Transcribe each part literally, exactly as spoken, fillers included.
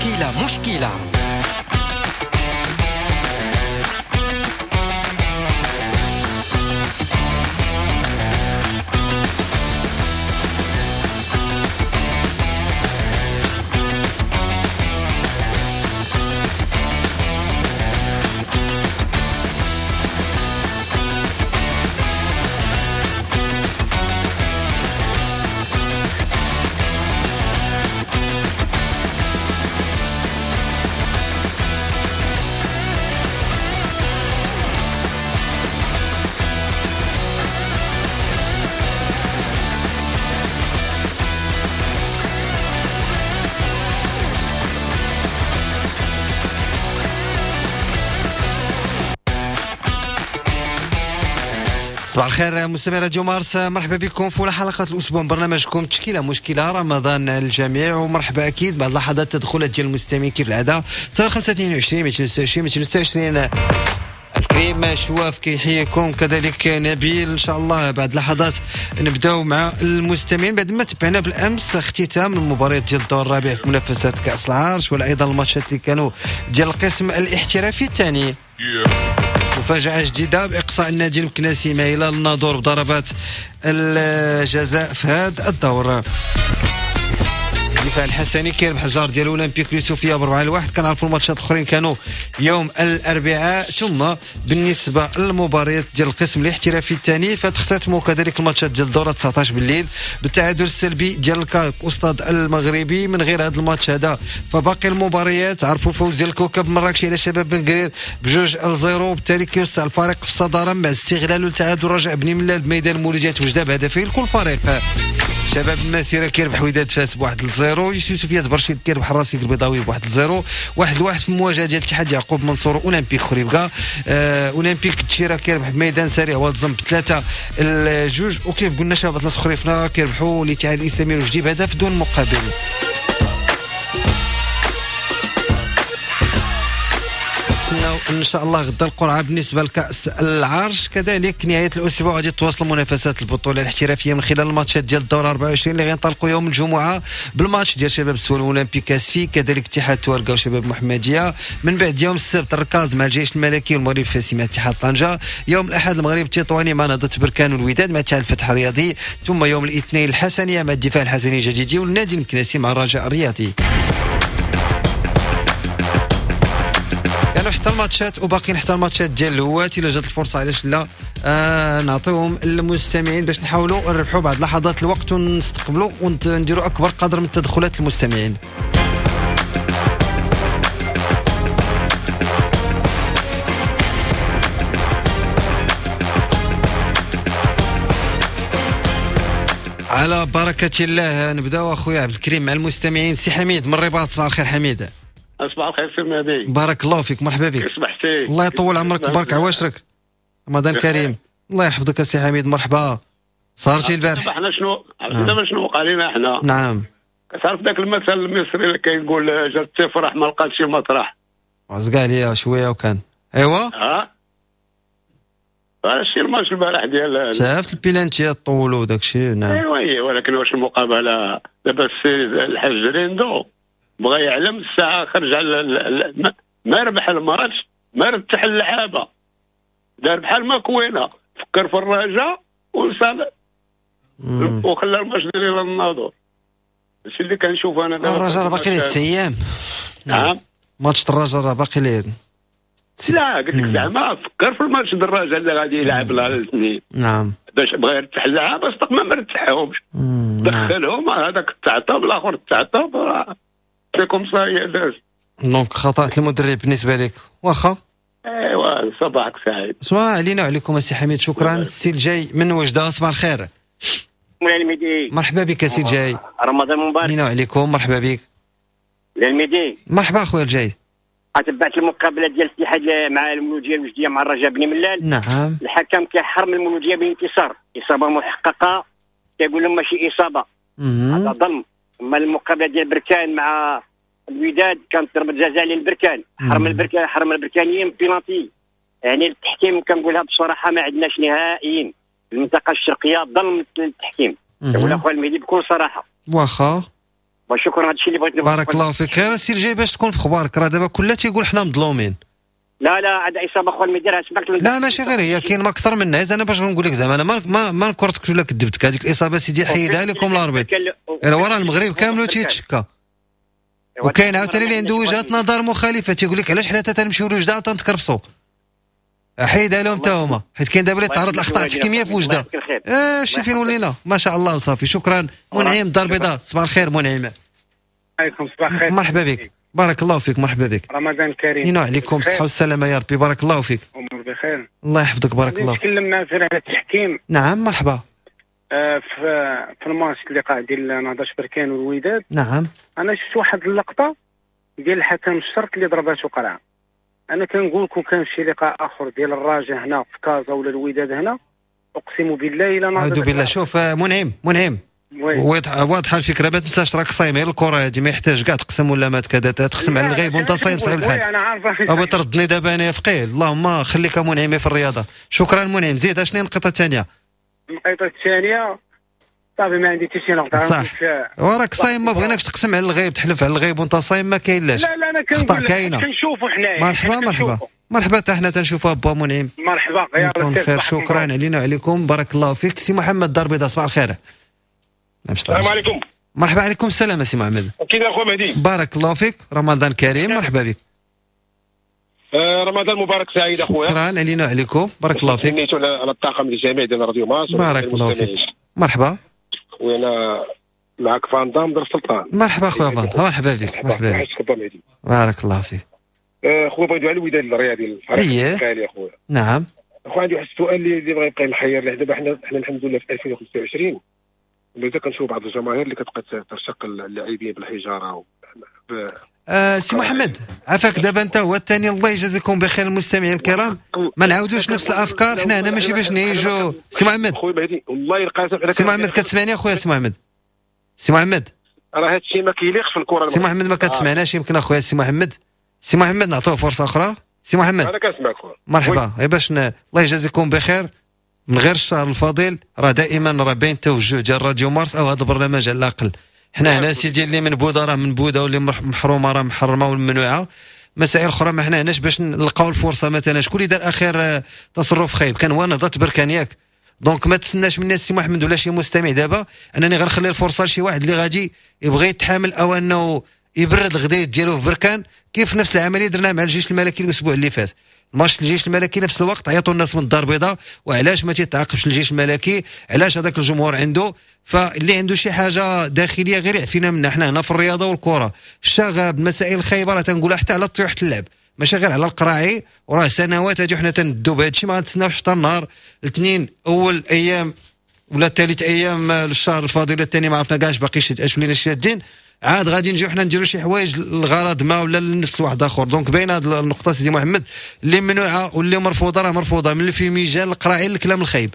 تشكيلة مشكلة. صباح الخير مستمعي راديو مارس، مرحبا بكم في حلقة الأسبوع من برنامجكم تشكيلة مشكلة. رمضان الجميع ومرحبا أكيد بعد لحظات التدخلات ديال المستمعين كيف العادة صفر خمسة اثنين وعشرين مئتين وستة وعشرين مئتين وستة وعشرين. الكريم شواف كيحييكم، كذلك نبيل. إن شاء الله بعد لحظات نبداو مع المستمعين بعد ما تبعنا بالأمس اختتام المباريات ديال الدور الرابع في منافسات كأس العرش، وأيضا الماتشات اللي كانوا ديال القسم الاحترافي الثاني. مفاجأة جديدة بإقصاء النادي المكناسي مع هلال الناظور بضربات الجزاء في هذا الدور. الدفاع الحسني كيربح الجار ديال اولمبيك اليوسفيه بأربعة لواحد. كنعرفوا الماتشات الاخرين كانوا يوم الاربعاء. ثم بالنسبة للمباريات ديال القسم الاحترافي الثاني فتختتموا كذلك الماتشات ديال الدورة تسعطاش بالليل بالتعادل السلبي ديال الكاك أستاد المغربي. من غير هذا الماتش هذا فباقي المباريات عرفوا فوز ديال الكوكب مراكش على شباب بن قرير بجوج لزيرو، وبالتالي كيوسع الفريق في الصدارة مع استغلاله لتعادل رجاء بني ملال بميدان مولودية وجده بهدفين لكل فريق. شباب المسيرة كيربح وداد فاس بواحد لزيرو، يوسفيه برشيد كيربح الراسيك البيضاوي بواحد لزيرو، واحد لواحد في المواجهة ديال اتحاد يعقوب منصور اولمبيك خريبكا. آه اولمبيك التشيره كيربح بميدان سريع وادزم بثلاثة الجوج، وكيف قلنا شباب اطلس خريفنا كيربحوا الاتحاد الاسلامي الوجدي بهدف دون مقابل. ان شاء الله غدا القرعة بالنسبة لكاس العرش. كذلك نهاية الاسبوع غادي تواصل منافسات البطولة الاحترافية من خلال الماتشات ديال الدورة أربعة وعشرين اللي غينطلقوا يوم الجمعة بالماتش ديال شباب السوالم اولمبيك اسفي، كذلك اتحاد تواركا وشباب محمديه. من بعد يوم السبت الركاز مع الجيش الملكي والمغرب الفاسي مع اتحاد طنجه. يوم الاحد المغرب التطواني مع نهضة بركان والوداد مع اتحاد الفتح الرياضي. ثم يوم الاثنين الحسنيه مع الدفاع الحسني الجديدي والنادي المكناسي مع الرجاء الرياضي. حتى الماتشات وباقيين حتى الماتشات ديال الهوات الا جات الفرصة علاش لا آه نعطيهم للمستمعين باش نحاولوا نربحوا بعض لحظات الوقت ونستقبلوا ونديروا اكبر قدر من التدخلات المستمعين. على بركة الله نبداو اخويا عبد الكريم مع المستمعين. سي حميد من الرباط، صباح الخير حميد. صباح الخير سي مهدي، بارك الله فيك، مرحبا بك. صبحتي الله يطول عمرك وبارك عواشرك. رمضان كريم. الله يحفظك سي حميد، مرحبا. صارتي البارح حنا شنو عرفتي دابا شنو وقع لنا حنا؟ نعم، كتعرف ذاك المثل المصري اللي كيقول جات تفرح ما لقات شي مطرح. عزق عليا شوية وكان ايوا اه هادشي الماتش البارح ديال شافت البيلانتيات طولوا وداك الشيء. نعم ايوا ولكن واش المقابلة دابا السي الحاج ريندو بغى يعلم الساعة خرج على ما ربح الماتش ما رتح اللعابه، دار بحال ما كوينه فكر في الرجاء ونسى وخلى الماتش ديال الناظور. هادشي اللي كنشوف انا دابا. الرجاء باقي ليه تسع ايام. نعم ماتش الرجاء راه باقي ليه. لا قلت لك زعما فكر في الماتش ديال الرجاء اللي غادي يلعب نهار الاثنين. نعم باش بغى يرتاح اللعابه صدق ما مرتاحهمش، دخلهم هذاك التعطب الاخر التعطب c'est comme ça هي داز. donc خطأت المدرب بالنسبة لك. واخا ايوا صباحك سعيد. صباح علينا وعليكم السي حميد، شكرا. السي الجاي من وجده، صباح الخير. الميدي مرحبا بك السي الجاي، رمضان مبارك. علينا وعليكم، مرحبا بك. الميدي مرحبا اخويا الجاي. تبعت المقابلة ديال الاتحاد مع المولوديه الوجديه مع الرجاء بني ملال. نعم الحكم كيحرم المولوديه بانتصار، اصابه محققة كيقول لهم ماشي اصابه، هذا ظلم. اما المقابلة ديال بركان مع الوداد كانت ضربه جزاء للبركان، حرم البركان حرم البركانيين بينالتي. يعني التحكيم كنقولها بصراحة ما عندناش نهائيا المنطقة الشرقية ظلم التحكيم. كنقول اخويا المهدي بكل صراحة. واخا وشكرا، هذا الشيء اللي بغيت نقول. بارك الله فيك. غير السي الجاي باش تكون في اخبارك، راه دابا كلها تيقول حنا مظلومين. لا لا، هذا اصابه اخويا المدير سمعت. لا ماشي غير هي، كاين ما اكثر منها. اذا انا باش نقول لك زعما انا ما ما, ما نكرتكش ولا كذبتك، هذيك الاصابة سيدي حيدها لكم l'arbitre، وراه المغرب كامل تيتشكى. وكاين عاوتاني اللي عنده وجهه نظر مخالفة، تيقول لك علاش حنا تنمشيو لوجده تنتكرفصوا، حيدها لهم حتى هما، حيت كاين دابا اللي تعرض لاخطاء تحكيميه في وجده. اه شتي فين ولينا، ما شاء الله وصافي. شكرا منعم الدار البيضاء، صباح الخير منعم. عليكم صباح الخير، مرحبا بك، بارك الله فيك. مرحبا بك، رمضان كريم. ينو عليكم الصحة والسلامة يا ربي، بارك الله فيك. أمور بخير، الله يحفظك، بارك الله. نتكلم معك على التحكيم. نعم مرحبا. آه في في الماتش اللقاء ديال نهضة بركان والوداد. نعم. أنا شفت واحد اللقطة ديال الحكم الشرط اللي ضرباتو قرعة. أنا كنقول كون كان شي لقاء آخر ديال الرجاء هنا في كازا ولا الوداد هنا، أقسم بالله إلا نهضة. أعوذ بالله. شوف منعم منعم واضحة الفكرة، ما تنساش راك صايم غير الكره هذه، ما يحتاج كاع تقسم ولا ما كذا، تقسم على الغيب وانت صايم صايم الحال. انا عارف ابا تردني دابا انا فقيه. اللهم خليك منعم في الرياضة. شكرا منعم. زيد اشني النقطة الثانية؟ النقطة الثانية صافي ما عندي حتى شي نقطة. صح، وراك صايم ما بغيناكش تقسم على الغيب، تحلف على الغيب وانت صايم ما كاين لاش. لا لا انا كنقول كنشوفوا حنايا. مرحبا مرحبا مرحبا، حتى حنا تنشوفوا با منعم. مرحبا، يا رب خير. شكرا علينا وعليكم، بارك الله فيك. سي محمد الدار البيضاء، صباح الخير. السلام عليكم. مرحبا. عليكم السلام سي محمد. كي داير اخويا مهدي؟ بارك الله فيك، رمضان كريم. مرحبا بك. آه رمضان مبارك سعيد اخويا. شكرا علينا وعليكم، بارك الله فيك. نيتو على الطاقم الجميع ديال راديو مارس. بارك الله فيك. مرحبا. خويا انا معك فاندام در السلطان. مرحبا خويا فاندام، مرحبا بك. مرحبا بك، بارك الله فيك. خويا بغيت على الوداد الرياضي الفريق الغالي اخويا. نعم اخويا عندي واحد السؤال اللي بغا يبقى محير لي دابا. حنا حنا الحمد لله في ألفين وخمسة وعشرين مازال كنشوف بعض الجماهير اللي كتبقى ترشق اللاعبين بالحجارة و... ب... آه سي محمد عافاك، دابا انت هو الثاني، الله يجازيكم بخير المستمعين الكرام، ما نعاودوش نفس الافكار، حنا هنا ماشي باش نعيشوا. سي محمد خويا مهدي والله القاسم، سي محمد كتسمعني اخويا؟ سي محمد، سي محمد راه هذا الشيء ما كيليقش في الكره. سي محمد ما كتسمعناش يمكن اخويا. سي محمد، سي محمد نعطوه فرصة اخرى. سي محمد انا كنسمعك خويا. مرحبا. غير باش ن... الله يجازيكم بخير، من غير الشهر الفضيل راه دائما راه باين التوجه ديال راديو مارس او هذا البرنامج على الاقل. حنا هنا سيدي اللي من بوده راه من بوده، واللي محرومة راه محرمة والممنوعه، مسائل اخرى ما حنا هناش باش نلقاو الفرصة. مثلا شكون اللي دار اخر تصرف خايب؟ كان هو نهضة بركان ياك. donc ما تسناش من السي محمد ولا شي مستمع دابا انني غنخلي الفرصة لشي واحد اللي غادي يبغي يتحامل او انه يبرد الغدايد ديالو في بركان، كيف نفس العملية درناها مع الجيش الملكي الاسبوع اللي فات. ماتش الجيش الملكي نفس الوقت عيطوا الناس من الدار البيضاء، وعلاش ما تيتعاقبش الجيش الملكي؟ علاش هذاك الجمهور عنده؟ فاللي عنده شي حاجة داخلية غير يعفينا منها. حنا هنا في الرياضة والكره، الشغب، المسائل الخايبة راه تنقولها حتى على طيوحه اللعب، ماشي غير على القراعي. وراه سنوات هادي حنا تندو بهذا الشيء، ما غنتسناوش حتى النهار الاثنين اول ايام ولا ثالث ايام الشهر الفاضل الثاني ما عرفنا كاع باقي شي اش ولينا شادين، عاد غادي نجيو حنا نديرو شي حوايج للغرض ما ولا لنفس واحد اخر. donc باين هذه النقطة سيدي محمد اللي ممنوعة واللي مرفوضة راه مرفوضة من ال fumigène القراعي للكلام الخايب.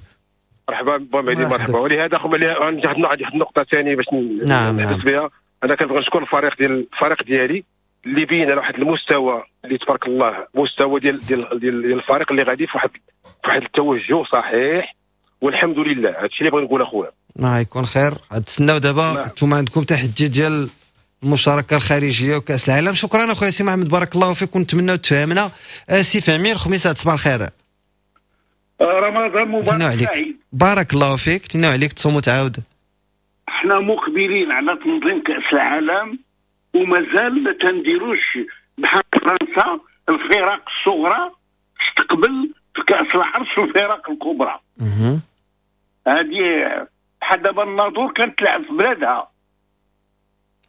مرحبا با مهدي، مرحبا. ولهذا خويا عندي واحد النقطة ثانية باش نعم نحبس بها. انا كنبغي نشكر الفريق ديال الفريق ديالي اللي بين على واحد المستوى اللي تبارك الله، مستوى ديال ديال ديال الفريق اللي غادي في واحد في واحد التوجه صحيح، والحمد لله. هادشي اللي بغيت نقول اخويا. ما يكون خير. تسناو دابا انتم عندكم تحدي ديال المشاركة الخارجية وكاس العالم. شكرا اخويا سي محمد، بارك الله فيك، ونتمناو تفهمنا. سي فهمي الخميسات، صباح الخير. رمضان مبارك سعيد. بارك الله فيك، تناو عليك تصوم وتعاود. احنا مقبلين على تنظيم كاس العالم ومازال ما تنديروش بحال فرنسا الفرق الصغرى تستقبل في كاس العرش الفرق الكبرى. هذه بحال دابا الناظور كانت تلعب في بلادها.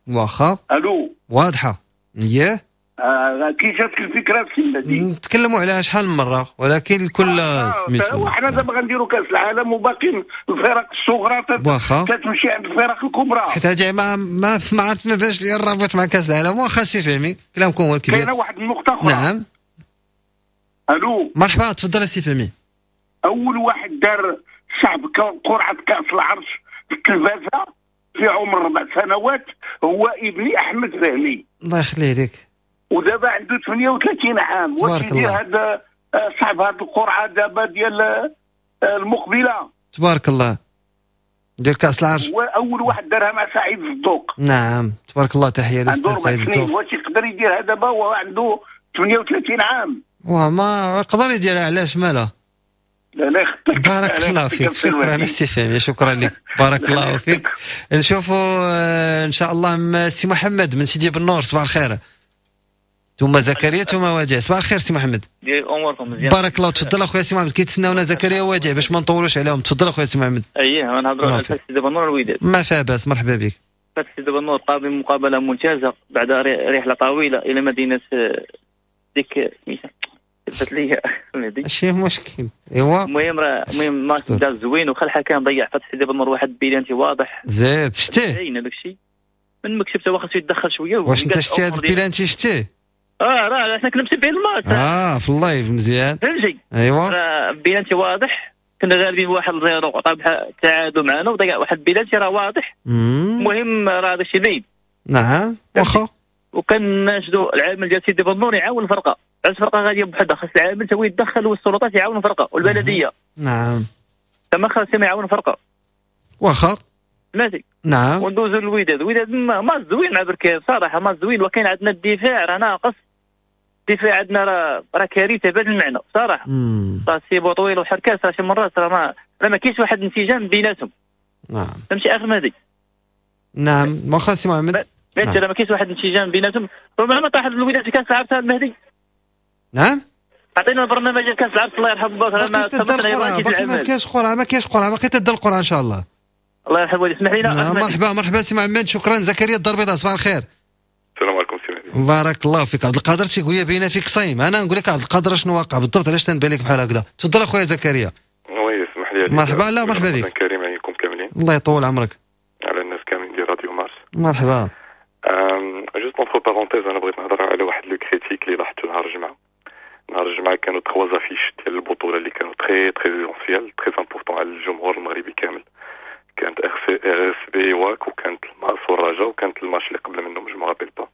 واخا الو واضحة ياه. آه كي جاتك الفكرة في النادي نتكلموا عليها شحال من مرة، ولكن الكل آه وحنا دابا غنديروا كاس العالم وباقي الفرق الصغرى تتمشي عند الفرق الكبرى، حيت هادي ما ما ما عرفت ما باش لي الرابط مع كاس العالم. واخا سي فهمي كلامكم هو الكبير. كاينه واحد النقطة اخرى. نعم الو مرحبا، تفضل سي فهمي. اول واحد دار شعب قرعه كاس العرش في التلفازه في عمر ربع سنوات هو ابني احمد فهمي، الله يخليه لك، ودابا عنده ثمانية وثلاثين عام. واش يدير هذا صاحب هذه القرعة دابا ديال المقبلة؟ تبارك الله. ديال كاس العرش. هو اول واحد دارها مع سعيد الذوق. نعم تبارك الله، تحية عنده اربع سنين، واش يقدر يديرها دابا وهو عنده ثمانية وثلاثين عام؟ وما يقدر يديرها، علاش مالها؟ لا لا يخطيك. بارك الله فيك، شكرا السي فهمي، شكرا لك، بارك الله فيك. نشوفوا ان شاء الله سي محمد من سيدي بنور، صباح الخير. ثم زكريا ثم وديع، صباح الخير سي محمد. ديال اموركم مزيان بارك الله. تفضل اخويا سي محمد، كيتسناونا زكريا ووديع باش ما نطولوش عليهم. تفضل اخويا سي محمد. اييه غنهضروا على سيدي بنور الوداد. ما فيها باس، مرحبا بك. سيدي بنور قام بمقابله ممتازة بعد رحله طويلة الى مدينة ديك سميتها ثبت لي ماشي مشكل. ايوا المهم راه المهم الماتش داز زوين، وخا الحكم ضيع فتح سيدي بنور واحد بيلانتي واضح. زيد شتيه باين هذاك الشيء من ما كتبته، واخا خصو يتدخل شوية. واش انت شتي هذا البيلانتي شتيه؟ اه راه حنا كنا متبعين الماتش اه في ال live مزيان، فهمتي؟ ايوا راه بيلانتي واضح، كنا غالبين بواحد zéro، عطا التعادل معنا وضيع واحد بيلانتي راه واضح. المهم راه هذا الشيء باين. نعم واخا. وكنناشدوا العامل ديال سيدي بنور يعاون الفرقة، علاش الفرقة غادية بوحدها؟ خاص العامل تا هو يتدخل والسلطات يعاونوا الفرقة والبلديه. نعم تما خاصهم يعاونوا الفرقة. واخا ماشي. نعم وندوزو للوداد. الوداد ما زوين مع بركان صراحة، ما زوين، وكاين عندنا الدفاع راه ناقص، الدفاع عندنا راه راه كارثة بهذا المعنى صراحة. راه سيبو طويل وحركاس راه شي مرات راه ما راه ما كاينش واحد الانسجام بيناتهم. نعم فهمتي اخر مهدي؟ نعم واخا سي محمد. فهمتي راه ما كاينش واحد الانسجام بيناتهم. ربما طاح الوداد في كاس العرش المهدي. نعم عطينا البرنامج ديال كاس العرش الله يرحم باك. راه ما ما كاينش قرعه، ما كاينش قرعه، باقي تدير القرعة ان شاء الله. الله يرحم والديك، اسمح لينا. نعم مرحبا مرحبا سي محمد، شكرا. زكريا الدار البيضاء، صباح الخير. السلام عليكم سي مهدي. بارك الله فيك. عبد القادر تيقول لي باينة فيك صايم، انا نقول لك عبد القادر شنو واقع بالضبط، علاش تنبان لك بحال هكذا؟ تفضل اخويا زكريا. oui اسمح لي. مرحبا. لا مرحبا بك. كريم عليكم كاملين. الله يطول عمرك. على الناس كاملين ديال راديو مارس. مرحبا. juste entre parenthèses، انا بغيت نهضر على واحد le critique اللي لاحظته نهار الجمعة. نهار الجمعة كانوا trois affiches ديال البطولة اللي كانوا très très essentielles، très importantes على الجمهور المغربي كامل. كانت RSB واك، وكانت الماس والرجاء، وكانت الماتش اللي قبل منهم je me rappelle pas.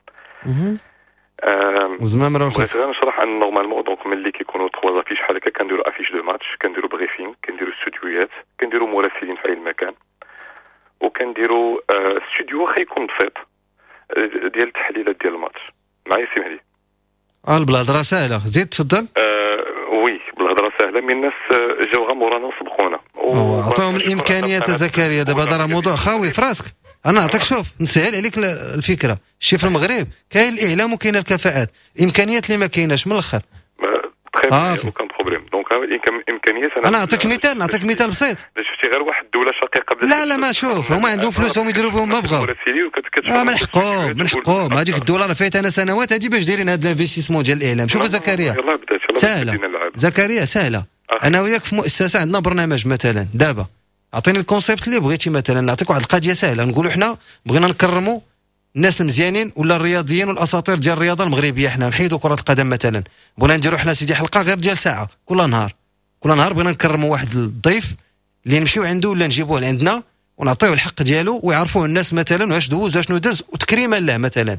زعما راه بغيت غير نشرح ان normalement donc ملي كيكونوا trois affiches بحال هكا كنديروا affiche de match، كنديروا briefing، كنديروا استوديوهات، كنديروا مراسلين في اي مكان، وكنديروا استوديو واخا يكون بسيط ديال التحليلات ديال الماتش. معايا سي مهدي؟ اه بالهضره ساهله، زيد تفضل. آه oui بالهضره ساهله، mais الناس جاو غير مورانا وسبقونا. عطاهم الامكانيات زكريا. دابا هذا راه موضوع خاوي في راسك. انا نعطيك شوف نسهل عليك الفكرة. شي في المغرب كاين الاعلام وكاين الكفاءات، الامكانيات اللي ما كايناش من الاخر. très aucun problème. donc الامكانيات انا نعطيك مثال، نعطيك مثال بسيط. شفتي غير واحد الدولة شقيقه. لا لا ما شوف، هما عندهم فلوسهم يديروا بهم ما بغاو. اه من حقهم، من حقهم. هذيك الدولة راه فايت انا سنوات هذه باش دايرين هذا ال investissement ديال الاعلام. شوف زكريا سهلة، زكريا سهلة. انا وياك في مؤسسة عندنا برنامج مثلا، دابا اعطيني ال concept اللي بغيتي. مثلا نعطيك واحد القضية سهلة، نقولوا حنا بغينا نكرموا الناس المزيانين ولا الرياضيين والاساطير ديال الرياضة المغربية، حنا نحيدوا كره القدم مثلا، بغينا نديروا حنا سيدي حلقة غير ديال ساعة كل نهار، كل نهار بغينا نكرموا واحد الضيف اللي نمشيو عنده ولا نجيبوه لعندنا ونعطيوه الحق ديالو ويعرفوه الناس مثلا واش دوز واشنو داز وتكريما له مثلا.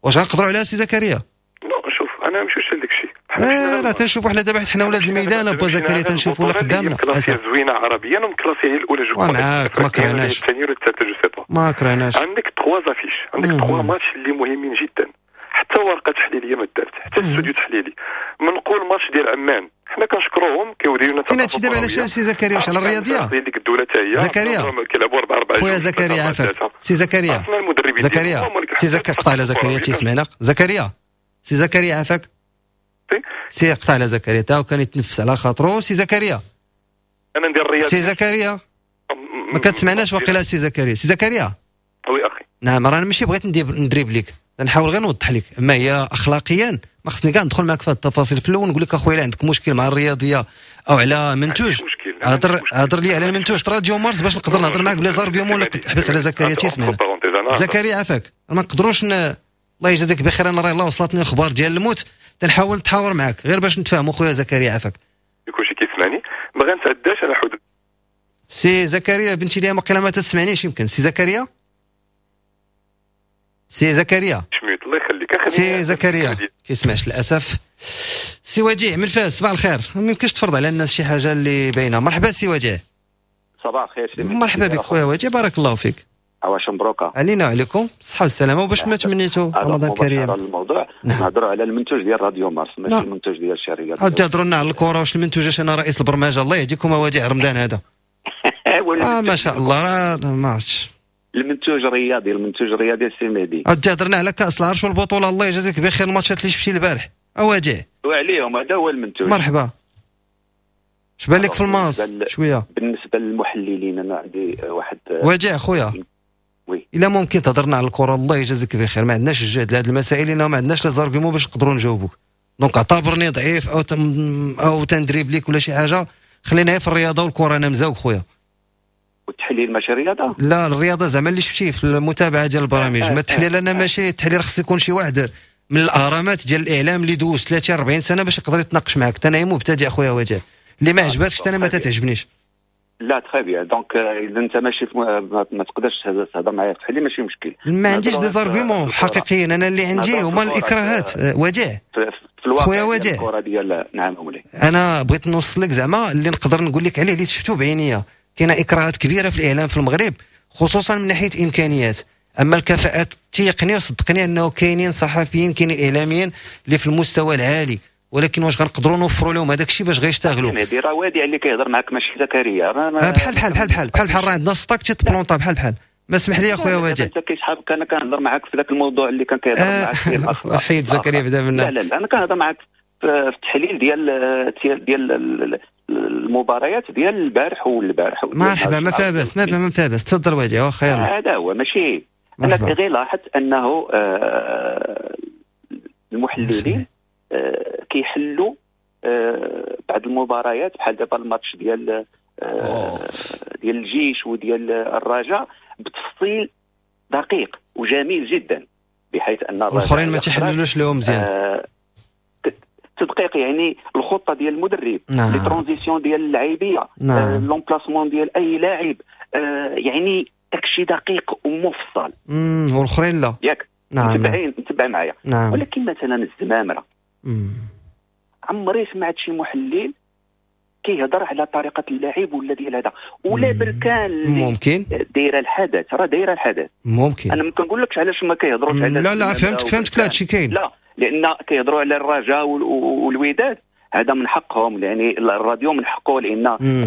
واش غنقدروا عليها سي زكريا؟ non شوف انا مشيتش لداك الشيء. اه راه تنشوفوا حنا دابا حيت حنا ولاد الميدان ابو زكريا تنشوفوا اللي قدامنا classée زوينة عربيا و classée هي الاولى je معاك، ما كرهناش الثانية ولا الثالثة je sais pas، ما كرهناش. عندك trois affiches، عندك trois matchs اللي مهمين جدا، حتى ورقة تحليلية ما دارت، حتى استوديو تحليلي. منقول ماتش ديال عمان حنا كنشكروهم كيوديو لنا. كاين هادشي دابا علاش سي زكريا؟ واش على الرياضية؟ ديك الدولة حتى هي زكريا كيلعبوا أربعة أربعة. خويا زكريا عافاك سي زكريا، زكريا سي زكريا قطع على زكريا تيسمعنا. زكريا سي زكريا عافاك سي قطع على زكريا تا وكان يتنفس على خاطرو. سي زكريا انا ندير الرياضة. سي زكريا ما كتسمعناش واقيلا. سي زكريا، سي زكريا oui اخي. نعم راه ماشي بغيت ندريب لك، نحاول غير نوضح لك. اما هي اخلاقيا ما خصني كاع ندخل معك في هذه التفاصيل. في الاول نقول لك اخويا عندك مشكل مع الرياضية او على منتوج، هضر هضر لي على المنتوج راديو مارس باش نقدر نهضر معك ب les arguments. ولا حبس على زكريا تيسمعنا. زكريا عافاك ما نقدروش ن... الله يجازيك بخير، انا راه الله وصلتني الخبار ديال الموت، تنحاول نتحاور معك غير باش نتفاهموا. خويا زكريا عافاك كلشي كيسمعني، ما غنتعداش على حدود. سي زكريا بنتي لي مقيله ما تسمعنيش يمكن. سي زكريا، سي زكريا الله يخليك. سي زكريا كيسمعش للاسف. سي وديع من فاس، صباح الخير. ما يمكنش تفرض على الناس شي حاجة اللي باينة. مرحبا سي وديع. صباح الخير سي. مرحبا بك خويا وديع، بارك الله فيك. عواش مبروكه علينا وعليكم الصحة والسلامة، وباش ما تمنيتو رمضان كريم. الموضوع نعم. نهضروا على المنتوج ديال راديو مارس ماشي نعم. المنتوج ديال الشركة. عاد تهضروا لنا على الكره واش المنتوج؟ انا رئيس البرمجة، الله يهديكم وديع رمضان هذا. آه ما شاء الله راه ما عرفتش المنتوج الرياضي، المنتوج الرياضي سي مهدي. عاد تهضرنا على كاس العرش والبطوله، الله يجازيك بخير الماتشات اللي شفتي البارح اوديع وعليهم، هذا هو المنتوج. مرحبا، اش بان لك في الماس شوية؟ بالنسبة للمحللين انا عندي واحد وديع خويا oui، الا ممكن تهضرنا على الكره الله يجازيك بخير، ما عندناش الجهد لهاد المسائل لانه ما عندناش les arguments باش نقدروا نجاوبوك. donc اعتبرني ضعيف او تم او تندريب ليك ولا شي حاجة، خلينا في الرياضة والكره. انا مزاوك خويا. والتحليل ماشي رياضة؟ لا الرياضة زعما اللي شفتيه في المتابعة ديال البرامج، ما التحليل انا ماشي التحليل، خص يكون شي واحد من الاهرامات ديال الاعلام اللي دوز ثلاثين أربعين سنة باش يقدر يتناقش معاك. انا مبتدئ خويا وديع، اللي ما عجباتكش انا ما تتعجبنيش. لا très bien، donc اذا انت ماشي ما تقدرش تهضر معايا في التحليل ماشي مشكل. ما عنديش des arguments حقيقيين، انا اللي عندي هما الاكراهات وديع. في الواقع خويا وديع الكره ديال نعم مولاي، انا بغيت نوصل لك زعما اللي نقدر نقول لك عليه اللي شفتو بعينيا. كاينه اكراهات كبيرة في الاعلام في المغرب خصوصا من ناحية امكانيات، اما الكفاءات تيقني وصدقني انه كاينين صحفيين كاينين اعلاميين اللي في المستوى العالي، ولكن واش غنقدروا نوفروا لهم هذاك الشيء باش غيشتغلوا؟ مهدي راه وديع اللي كيهضر معاك ماشي زكريا. بحال بحال بحال بحال بحال بحال راه عندنا stock تيتبلونطا بحال بحال. ما اسمح لي اخويا وديع، انت كيسحابك انا كنهضر معاك في ذاك الموضوع اللي كان كيهضر معاك فيه الاخ حيد زكريا بدا منا. لا لا لا انا كنهضر معاك في التحليل ديال ديال المباريات ديال البارح والبارح. مرحبا، ما فيها باس، ما فيها باس، تفضل وديع واخا يلاه. هذا هو ماشي انا غير لاحظت انه آه المحللين آه كيحلوا آه بعض المباريات بحال دابا الماتش ديال آه ديال الجيش وديال الرجاء بتفصيل دقيق وجميل جدا، بحيث ان الاخرين ما تيحللوش لهم مزيان. آه تدقيق يعني الخطة ديال المدرب، نعم. les transitions ديال اللعيبيه، نعم. آه l'emplacement ديال اي لاعب، آه يعني داكشي دقيق ومفصل. امم والاخرين لا ياك. نعم متبعين متبع معايا. نعم. ولكن مثلا الزمامره مم. عمري سمعت شي محلل كيهضر على طريقه اللعب ولا ديال هذا ولا بركان ممكن دايرة الحدث، راه دايرة الحدث ممكن. انا ما كنقولكش علاش ما كيهضروش على لا لا فهمتك فهمتك، لا هادشي كاين، لا لان كيهضروا على الرجاء والوداد، هذا من حقهم، يعني الراديو من حقه، لان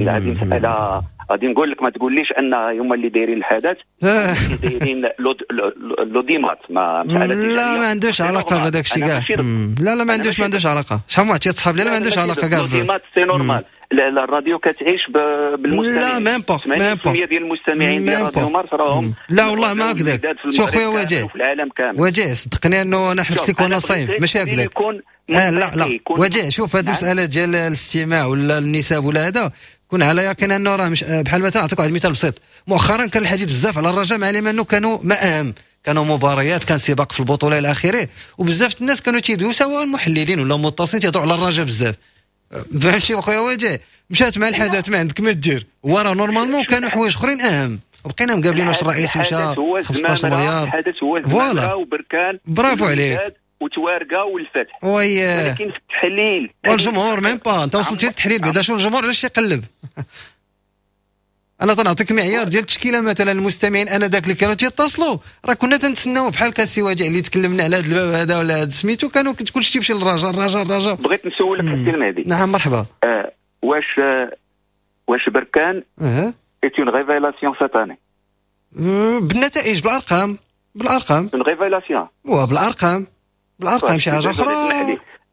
هذه مسالة غادي نقول لك ما تقوليش ان هما اللي دايرين الحدث اللي دايرين l'audimat ما مسالة لا ما عندوش علاقة بهذاك الشيء كاع. لا لا ما عندوش ما عندوش علاقة. شحال ما تصحاب لي لا ما عندوش علاقة كاع l'audimat c'est normal. الراديو كتعيش بالمستمعين. لا même pas même pas ديال المستمعين ديال راديو مارس راهم لا والله ما هكذاك. شوف خويا وجيه في العالم كامل، وجيه صدقني انه انا حلفت لك وانا صايم ماشي هكذاك. آه لا لا وجيه شوف هذه المسالة ديال الاستماع ولا النسب ولا هذا، كون على يقين انه راه مش بحال مثلا نعطيك واحد المثال بسيط. مؤخرا كان الحديث بزاف على الرجاء مع انه كانوا ما اهم، كانوا مباريات، كان سباق في البطولة الى اخره، وبزاف الناس كانوا تيدويو سواء المحللين ولا المتصلين تيهضروا على الرجاء بزاف. فهمتي اخويا وجيه؟ مشات مع الحدث ما عندك ما دير، وراه normalement كانوا حوايج اخرين اهم، بقينا مقابلين واش الرئيس مشى خمسطاش مليار. الحدث هو voilà وبركان، برافو عليك، وتوارقه والفتح، oui. ولكن في التحليل والجمهور même pas انت وصلتي للتحليل بعدا، شو الجمهور علاش يقلب؟ انا تنعطيك معيار ديال التشكيلة مثلا المستمعين انا داك اللي كانوا تيتصلوا راه كنا تنتسناو بحال كاسي وجع اللي تكلمنا على هذا الباب هذا ولا هذا سميتو، كانوا كلشي تيمشي للرجاء الرجاء الرجاء. بغيت نسولك السي المهدي. نعم مرحبا. آه واش واش بركان أه. est une révélation cette année؟ بالنتائج بالارقام بالارقام une révélation وبالارقام بالارقام شي حاجة اخرى.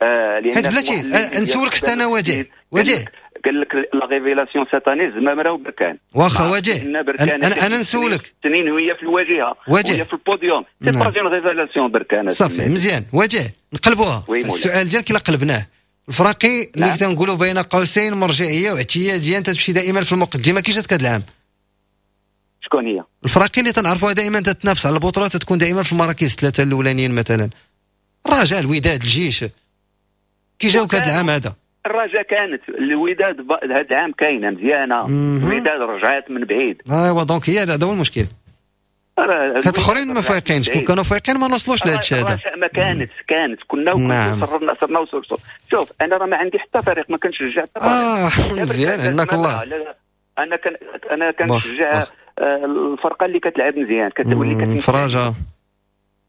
آه حيت بلاتي نسولك حتى انا وجه وجه قال لك la révélation cette année زمامرة وبركان. واخا وجه انا انا نسولك سنين وهي في الواجهة وهي في ال podium، c'est pas une révélation بركان. صافي مزيان وجه نقلبوها السؤال ديالك الا قلبناه الفراقي اللي نعم. تنقولوا بين قوسين مرجعية واعتياديه انت تمشي دائما في المقدمة كي جاتك هذا العام؟ شكون هي؟ الفراقي اللي تنعرفوها دائما تتنافس على البطولات تكون دائما في المراكز الثلاثة الاولانيين مثلا الرجاء الوداد الجيش، كي جاوك هذا العام هذا؟ الرجاء كانت الوداد هذا العام كاينه مزيانه، الوداد رجعات من بعيد. ايوا donc هي هذا هو المشكل. هاد الاخرين ما فايقينش، كون كانوا فايقين ما نوصلوش لهذا الشيء هذا. الرجاء ما كانت كانت كنا نعم. صرنا صرنا وصلنا. شوف انا راه ما عندي حتى فريق، ما كنشجع حتى فريق. اه مزيان عندك الله. انا كان انا كنشجع الفرقة اللي كتلعب مزيان، كتولي كتفرجه.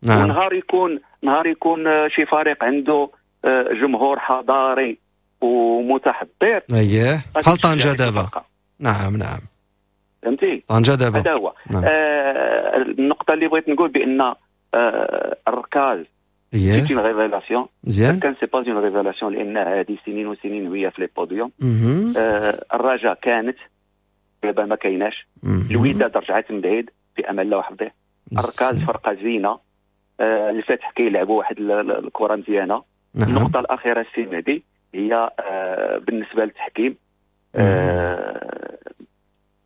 نعم. ونهار يكون نهار يكون شي فريق عنده جمهور حضاري ومتحضر، اييه بحال طنجه دابا. نعم نعم فهمتي، طنجه دابا هذا هو. نعم. آه النقطة اللي بغيت نقول بان آه الركاز اييه c'est une révélation. مزيان، كان c'est pas une révélation لان هذه سنين وسنين وهي في les podiums. آه الرجاء كانت دابا ما كايناش، الوداد رجعت من بعيد في امان الله وحفظه. الركاز فرقه زينة، آه الفتح كيلعبوا واحد الكره مزيانه. نعم. النقطة الاخيرة السي مهدي هي آه بالنسبة للتحكيم، آه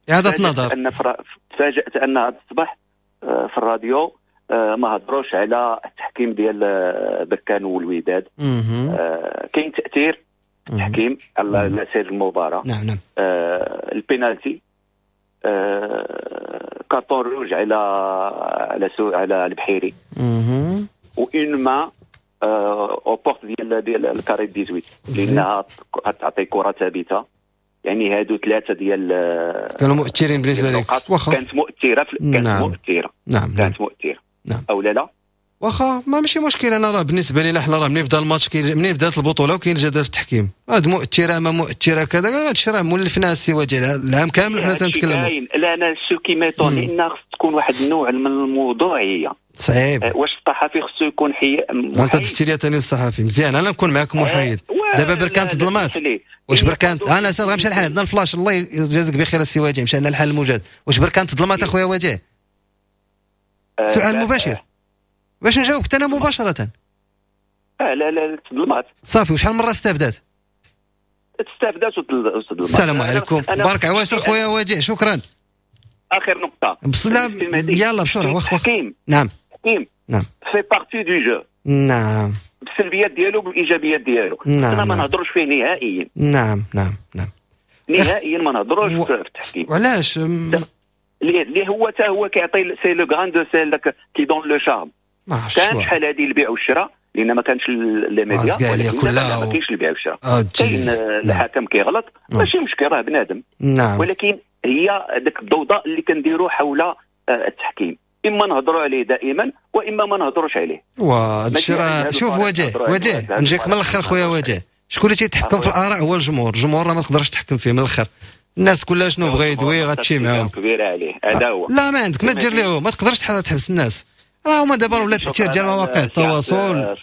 اعاده نظر. ان فرا... تفاجات ان هذا الصباح آه في الراديو آه ما هضروش على التحكيم ديال بركان والوداد. آه كاين تاثير التحكيم على سير المباراة. نعم نعم. آه البينالتي، آه carton rouge على على سو على البحيري، و une main aux portes ديال ديال ال carré ثمنطاش لانها تعطي كره ثابتة. يعني هادو ثلاثة ديال كانوا مؤثرين بالنسبة لك. واخا كانت مؤثرة في... كانت نعم. مؤثرة. نعم كانت مؤثرة. نعم. او لا لا واخا ما ماشي مشكل. انا راه بالنسبة لينا حنا راه منين بدا الماتش كي... منين بدات البطولة وكاين جدل في التحكيم، هاد مؤثرة ما مؤثرة كذا، هادشي راه مولفنا السي وجه العام كامل وحنا تنتكلموا. لا انا ce qui m'étonne لان خص تكون واحد النوع من الموضوعية. صعيب. واش الصحفي خصو يكون حي انت دزتي لي ثاني الصحفي مزيان، انا نكون معاك محايد. دابا بركان تظلمات. واش بركان انا سير غنمشي الحال عندنا الفلاش، الله يجازيك بخير السي وجه، مشى لنا الحال الموجود. واش بركان تظلمات اخويا وجه؟ سؤال مباشر باش نجاوبك انا مباشرة. اه لا لا تظلمات صافي. وشحال من مرة استفدات؟ استفدات وتظلمات. السلام عليكم، بارك عواشر خويا وجه، شكرا. اخر نقطة بسلام، يلا بسرعة. واخ واخ. نعم التحكيم نعم fait partie du jeu. نعم بالسلبيات ديالو بالايجابيات ديالو. نعم ما نهضروش فيه نهائيا. نعم نعم نعم نهائيا ما نهضروش و... في التحكيم. وعلاش؟ اللي هو حتى هو كيعطي c'est le grain de sel qui donne le charme. كان شحال هذه البيع والشراء لان ما كانش les médias، ما كاينش البيع والشراء، كاين الحكم كيغلط ماشي مشكل راه بنادم. نعم. ولكن هي داك الضوضاء اللي كنديروا حول التحكيم، اما نهضروا عليه دائما واما ما نهضروش عليه. وهادشي راه شوف وجه وجه نجيك من الاخر خويا وجه، شكون اللي تيتحكم في الاراء؟ هو الجمهور. الجمهور راه ما تقدرش تحكم فيه من الاخر، الناس كلها شنو بغى يدوي غتمشي معاهم. كبيرة عليه هذا هو. لا ما عندك ما دير لهم، ما تقدرش تحبس الناس، راه هما دابا ولا تاثير ديال مواقع التواصل،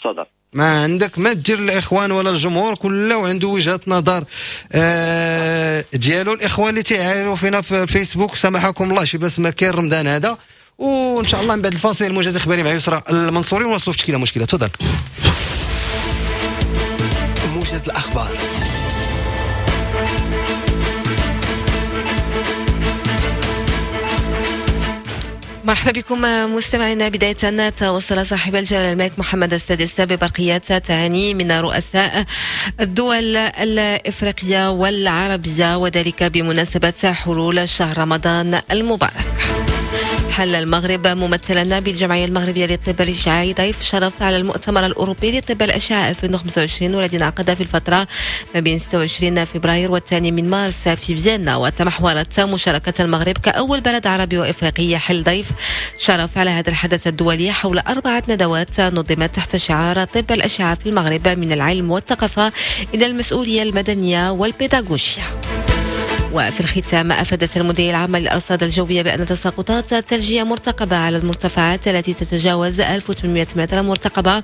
ما عندك ما دير الاخوان ولا الجمهور، كله عنده وجهه نظر آه ديالو. الاخوان اللي تيعايروا فينا في الفيسبوك سامحكم الله شي بس ما كاين رمضان هذا، وان شاء الله من بعد الفاصل الموجز الاخباري مع يسرى المنصوري ونوصلوا في تشكيله مشكلة. تفضل. موجز الاخبار. مرحبا بكم مستمعينا. بداية توصل صاحب الجلالة الملك محمد السادس ببرقيات تهاني من رؤساء الدول الإفريقية والعربية، وذلك بمناسبة حلول شهر رمضان المبارك. حل المغرب ممثلا بالجمعية المغربية للطب الإشعاعي ضيف شرف على المؤتمر الأوروبي لطب الأشعة ألفين وخمسة وعشرين، والذي انعقد في الفترة ما بين ستة وعشرين فبراير والثاني من مارس في فيينا. وتمحورت مشاركة المغرب كأول بلد عربي وإفريقي يحل ضيف شرف على هذا الحدث الدولي حول أربعة ندوات نظمت تحت شعار طب الأشعة في المغرب من العلم والثقافة إلى المسؤولية المدنية والبيداغوجيا. وفي الختام أفادت المديرية العامة للأرصاد الجوية بأن تساقطات ثلجية مرتقبة على المرتفعات التي تتجاوز ألف وثمانمائة متر مرتقبة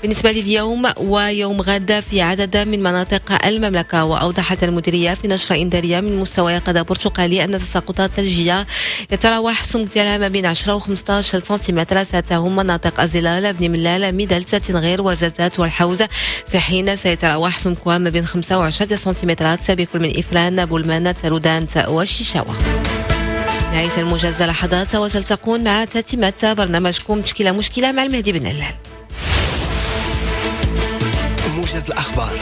بالنسبة لليوم ويوم غد في عدد من مناطق المملكة. وأوضحت المديرية في نشرة إنذارية من مستوى يقظة برتقالي أن تساقطات ثلجية يتراوح سمك ديالها ما بين عشرة و خمسة عشر سنتيمتر ستهم مناطق أزلال، بني ملال، ميدلت، تنغير، وزازات والحوز، في حين سيتراوح سمكها ما بين خمسة وعشرة سنتيمترات بكل من إفران، بولمان، ترودانت والشيشاوة. نهاية الموجز لحظات وتلتقون مع تتمة برنامجكم تشكيلة مشكلة مع المهدي بن علال. موجز الأخبار.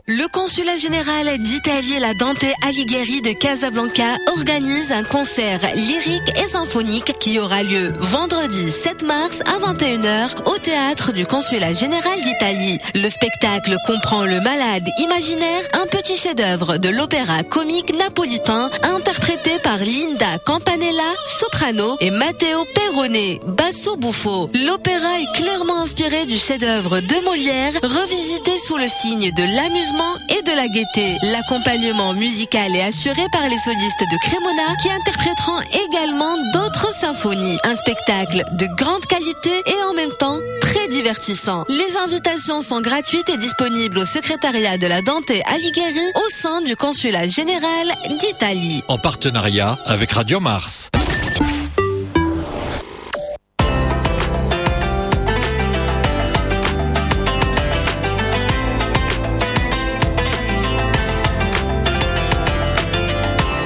Le consulat général d'Italie, la Dante Alighieri de Casablanca, organise un concert lyrique et symphonique qui aura lieu vendredi sept mars à vingt et une heures au théâtre du consulat général d'Italie. Le spectacle comprend Le Malade imaginaire, un petit chef-d'œuvre de l'opéra comique napolitain interprété par Linda Campanella, soprano, et Matteo Perrone, basso buffo. L'opéra est clairement inspiré du chef-d'œuvre de Molière, revisité sous le signe de l'amusement et de la gaieté. L'accompagnement musical est assuré par les solistes de Cremona qui interpréteront également d'autres symphonies. Un spectacle de grande qualité et en même temps très divertissant. Les invitations sont gratuites et disponibles au secrétariat de la Dante Alighieri au sein du consulat général d'Italie. En partenariat avec Radio Mars.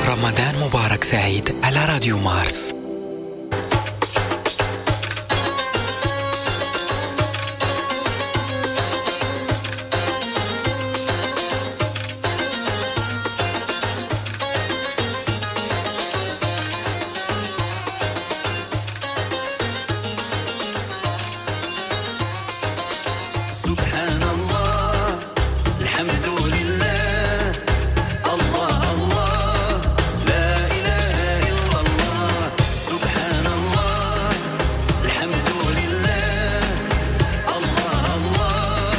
رمضان مبارك سعيد على راديو مارس. سبحان الله، الحمد لله، الله الله، لا إله إلا الله. سبحان الله، الحمد لله، الله الله،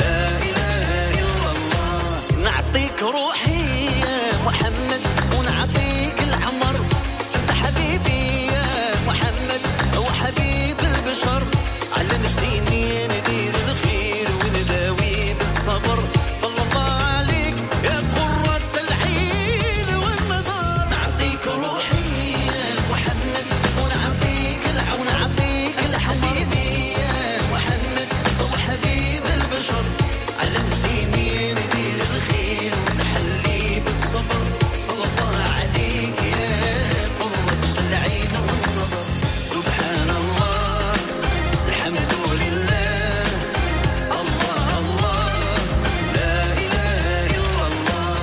لا إله إلا الله. نعطيك روحي يا محمد ونعطيك العمر، أنت حبيبي يا محمد وحبيب البشر. علمتيني ندير الخير ونداوي بالصبر، صلى الله عليك يا قرة العين والنظر. نعطيك روحي يا محمد ونعطيك العون، ونعطيك الحبيبي يا محمد وحبيب البشر. علمتيني ندير الخير ونحلي بالصبر، صلى الله عليك يا قرة العين والنظر. سبحان الله، الحمد لله، الله الله، لا إله إلا الله.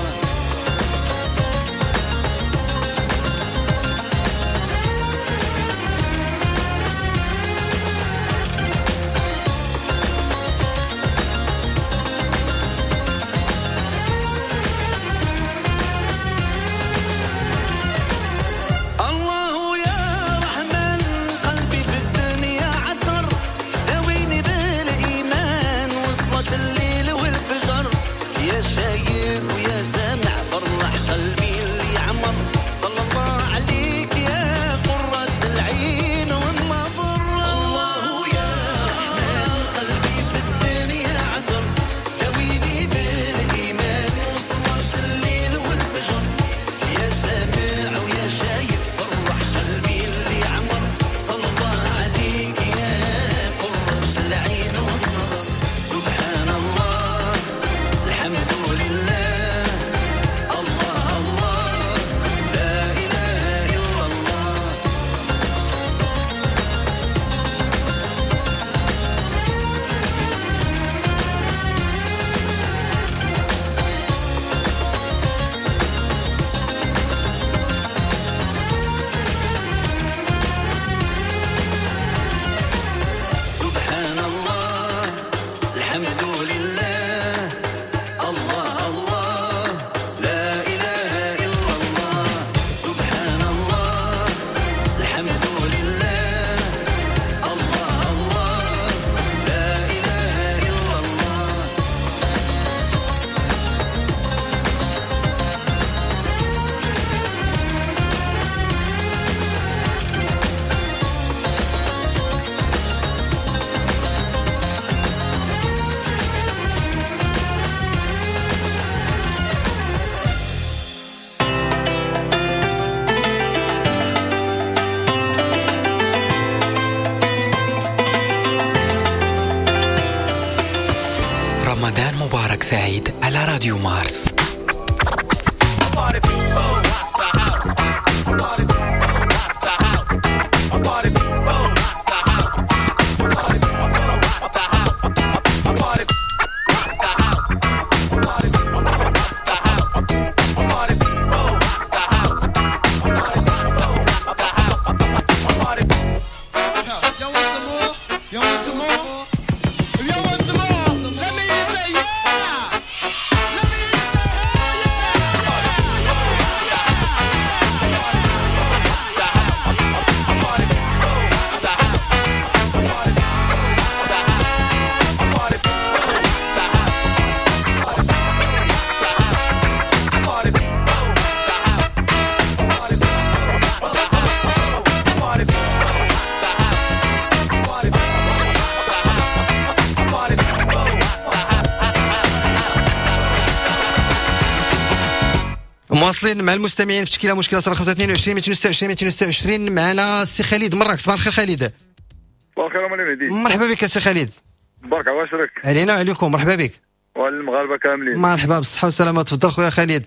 الله يا رحمن قلبي في الدنيا عطر، داويني بالإيمان وصلت الليل والفجر. يا شايف ويا سامع فرح قلبي اللي عمر، صلى الله عليك يا قرة العين والنظر. الله يا رحمن قلبي في الدنيا عطر، داويني بالإيمان وصلت الليل والفجر. يا سامع ويا شايف فرح قلبي اللي عمر، صلى الله عليك يا قرة العين والنظر. سبحان الله، الحمد لله، الله الله، لا إله إلا الله. سبحان الله، الحمد لله، الله الله، لا إله إلا الله. سبحان الله، الحمد لله، الله الله، لا إله إلا الله. رمضان مبارك سعيد على راديو مارس. Party. متواصلين مع المستمعين في تشكيله مشكلة صفر خمسة اثنين وعشرين مئتين وستة وعشرين مئتين وستة وعشرين. معنا السي خالد مراكش. صباح الخير خالد. صباح الخير مولاي مهدي. مرحبا بك السي خالد. بارك الله فيك. علينا وعليكم، مرحبا بك. وعلى المغاربة كاملين. مرحبا بالصحة والسلامة، تفضل خويا خالد.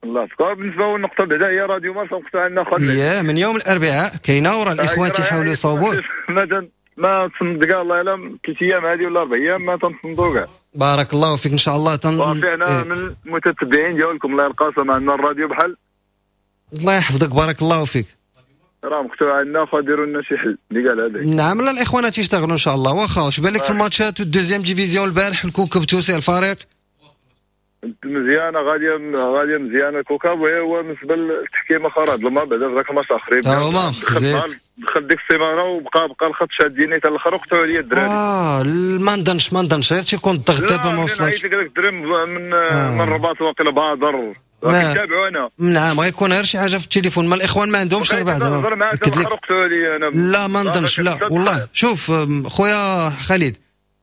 الله يحفظك. بالنسبة للنقطة بعدا هي راديو مارس مقطوع عندنا خالد. ياه من يوم الاربعاء كاينه وراه الاخوان تيحاولوا يصوبوه. ما ما تصندق كاع الله يعلم ثلاث ايام هذه ولا اربع ايام ما تنصندوا كاع. بارك الله فيك ان شاء الله. تن... صافي انا إيه. من المتتبعين ديالكم الله القاسم، عندنا الراديو بحال الله يحفظك. بارك الله فيك. راه مقطوع عندنا فديروا لنا شي حل اللي قال هذاك. نعم لا الاخوان تيشتغلوا ان شاء الله. واخا واش بالك في الماتشات وال deuxième division البارح الكوكب توسع الفريق مزيانه غادية غادية مزيانه الكوكب. وهي هو بالنسبة للتحكيم اخر ظلمه بعدا في ذاك الماتش اخرين دخل دخل ديك السيمانة وبقى بقى الخط شاديني حتى الاخر وقطعوا عليا الدراري. اه ما نظنش ما نظنش غير تيكون الضغط دابا ما وصلش. عيط لك هذاك الدري من آه. من الرباط واقيلا بادر كنتابعو انا. نعم غيكون غير شي حاجة في التليفون، ما الاخوان ما عندهمش ربع زعما. لا ما نظنش لا والله. شوف خويا خالد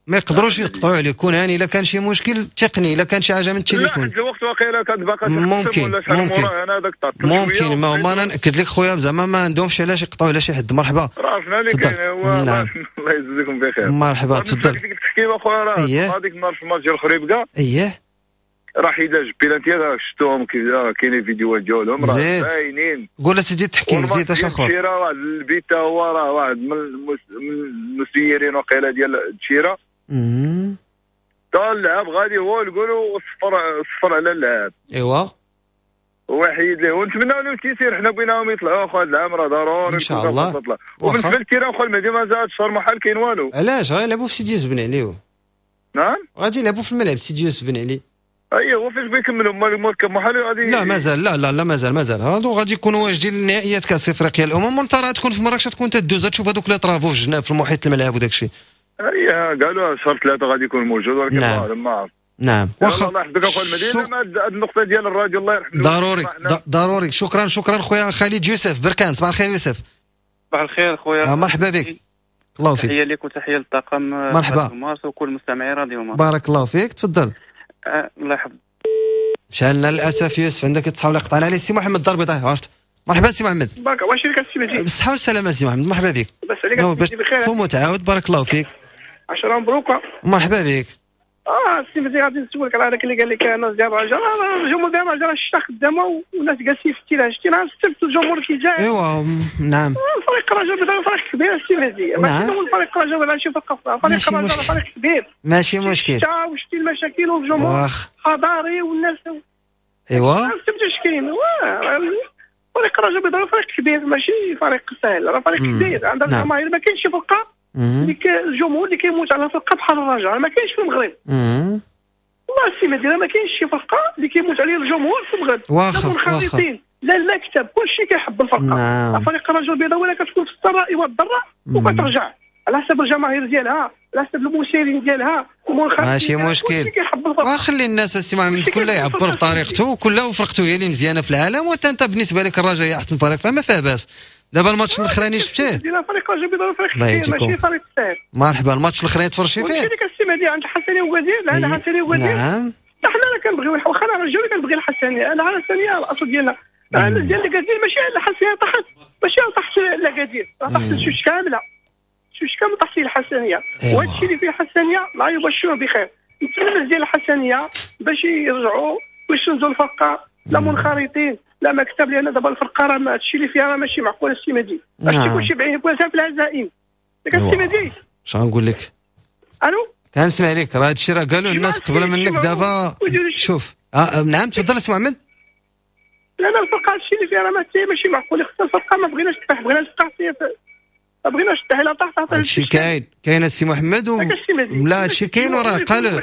ما يقدروش يقطعوا عليك، كون هاني. الا كان شي مشكل تقني، الا كان شي حاجة من التليفون لا الوقت واقيلا كانت باقا ممكن ولا شحال ممكن انا داك ممكن. ما هما انا ناكد لك خويا زعما ما عندهمش علاش يقطعوا على شي حد. مرحبا. راه اللي كاين هو. نعم. الله يجزيكم بخير. مرحبا تفضل. ديك التحكيم اخويا راه هذيك النهار في الماتش ديال الخريبكه اييه راه حيد بيلانتيات شفتوهم كاينين فيديوهات ديالهم راه باينين. قول اسيدي التحكيم زيد اش اخر. الشيره واحد البيت هو راه واحد من المسيرين وقيله ديال الشيره امم تا اللعاب غادي هو نقولوا صفر صفر على اللعاب. ايوا هو حيد ليه ونتمناو لهم التيسير. حنا بغيناهم يطلعوا اخو هذا العام راه ضروري ان شاء الله. وبالنسبة لل terrain اخو المهدي ما زاد شهر محال كاين والو. علاش غيلعبوا في سيدي يوسف بن علي؟ نعم غادي يلعبوا في الملعب سيدي يوسف بن علي. اي هو فاش بيكملوا هما محال غادي. لا مازال لا لا لا مازال مازال هادو غادي يكونوا واجدين لنهائيات كاس افريقيا الامم، وانت راه تكون في مراكش تكون تدوز تشوف هذوك les travaux في الجناب في المحيط الملعب وداك الشيء. اي قالوا شهر ثلاثة غادي يكون موجود ولكن نعم. ما عرفت. نعم واخا الله يحفظك اخويا المدينة. هذه النقطة ديال الراديو الله يرحمه ضروري ضروري. شكرا شكرا خويا خالد يوسف بركان. صباح الخير يوسف. صباح الخير خويا. مرحبا بك. الله فيك. تحية لك وتحية للطاقم مرحبا مارس وكل مستمعي راديو مارس. بارك الله فيك تفضل. أه الله يحفظك. مشى للاسف يوسف عندك تصحاب قطعنا عليه السي محمد الدار البيضاء. عرفت. مرحبا سي محمد. بارك واش لك السي مهدي؟ بالصحة والسلامة سي محمد مرحبا بك. بس عليك باش تصوم وتعاود. بارك الله فيك. عشرة مبروكة. مرحبا بك. اه السي مهدي غادي نسولك على هذاك اللي قال لك الناس ديال الرجاء، الجمهور ديال الرجاء الشتا خدامه والناس جالسين في ال terrain. شتي نهار السبت الجمهور كيجا. ايوا نعم. فريق الرجاء البيضاء فريق كبير السي مهدي. نعم. ماشي فريق الرجاء ولا شي فرق فريق الرجاء فريق كبير. ماشي مشكل. الشتا وشتي المشاكل والجمهور حضاري والناس. ايوا. السبت اش كاين؟ فريق الرجاء البيضاء فريق كبير ماشي فريق سهل، راه فريق كبير عندها الجماهير. ما كاينش شي فرقه اللي الجمهور اللي كيموت على فرقه بحال الرجاء، ما كاينش في المغرب. والله السي مهدي ما كاينش شي فرقه اللي كيموت عليها الجمهور في المغرب. واخا لا منخرطين لا المكتب كلشي كيحب الفرقة. نعم. فريق الرجاء البيضاء ولا كتكون في السراء والضراء وكترجع على حسب الجماهير ديالها على حسب المسيرين ديالها. ماشي مشكل. وخلي الناس السي محمد كل يعبر بطريقته وكل وفرقته هي اللي مزيانه في العالم. وانت انت بالنسبة لك الرجاء هي احسن فريق فما فيها باس. دابا الماتش الاخراني شفتيه؟ فريق الرجاء البيضاء فريق كبير ماشي فريق ساهل. مرحبا. الماتش الاخراني تفرجتي فيه؟ قلت لك السي مهدي عند الحسنيه وكادير. لا الحسنيه وكادير. نعم. حنا راه كنبغيو واخا انا رجاوي كنبغي الحسنيه. انا الحسنيه الاصل ديالنا. الناس ديال اكادير ماشي الحسنيه طاحت ماشي طاحت لاكادير طاحت الشوش كاملة. الشوش كامل طاحت فيه الحسنيه. وهذا الشيء اللي فيه الحسنيه لا يبشر بخير. نتمنى الناس ديال الحسنيه باش يرجعوا ويسندوا الفرقة لا منخرطين لا مكتب، لان دابا الفرقة راه هادشي اللي فيها راه ماشي معقول السي مهدي. هادشي كلشي بعينك في العزائم. داك السي مهدي اش غنقول لك؟ الو كنسمع لك. راه هادشي راه قالوا الناس قبل منك دابا. شوف آه نعم تفضل السي محمد. لا لا الفرقة هادشي اللي فيها راه ماشي معقول. خصنا الفرقة ما بغيناش تطيح، بغينا تبقى ما بغيناش تطيح. لا طاح طاح هادشي كاين كاين السي محمد و... لا هادشي كاين وراه قالوا